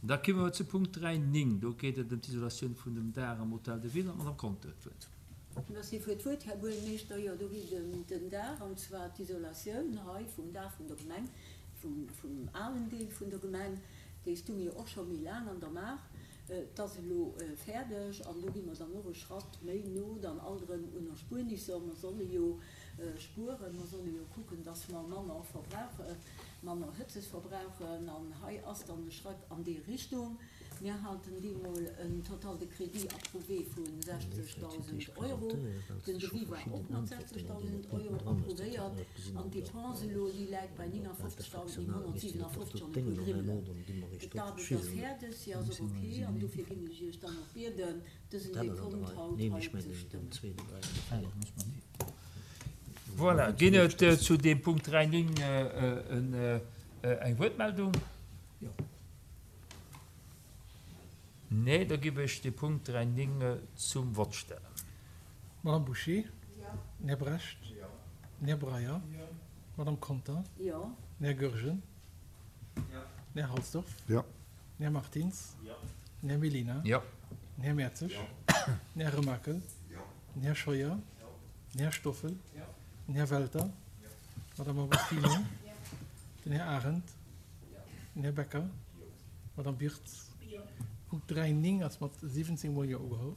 Da komme mer zu Punkt 3, 9. Do geet et ëm d'Isolatioun vun dem Daach am Hôtel de Ville. An d'Madame Conter huet d'Wuert. Merci fir d'Wuert, Här Buergermeeschter. Jo, do geet et ëm den Daach, an zwar d'isolatioun hei vum Daach vun der Gemeng, vum alen Deel vun der Gemeng. Dee stung jo och scho méi laang an der Maach. Et ass elo fäerdeg an do gi mer dann och e Schratt méi no dann alt erëm un Erspuernisser. Mer solle jo spueren, mer solle jo kucken, dass mer manner verbrauchen, manner Hëtzes verbrauchen an hei ass dann e Schratt an déi Richtung. Mir haten deemol en Total de crédit approuvé vu 60.000 Euro. Den Devis war och mat 60.000 Euro approuvéiert an d'Depense elo, déi läit bei 59.957 an e puer Grimmelen. D'Aarbecht ass fäerdeg, si ass och ok an dofir ginn ech Iech dann och bieden, dësen Dekont haut hei ze stëmmen. Voilà, ginn et zu deem Punkt 3, 9 eng Wuertmeldung? Nee, da giff ech de Punkt 3, 9 zum Vott stellen. Madame Bouché? Den Här Brecht? Den Här Breyer? D'Madame Conter? Den Här Goergen? Den Här Halsdorf? Den Här Martins? Den Här Mellina? Den Här Mertzig? Den Här Remakel? Den Här Scheuer? Den Här Stoffel? Den Här Welter? D'Madame Agostino? Den Här Arendt? Den Här Becker? D'Madame Wirtz? Punkt 3, 9 ass mat 17 mol Jo ugeholl.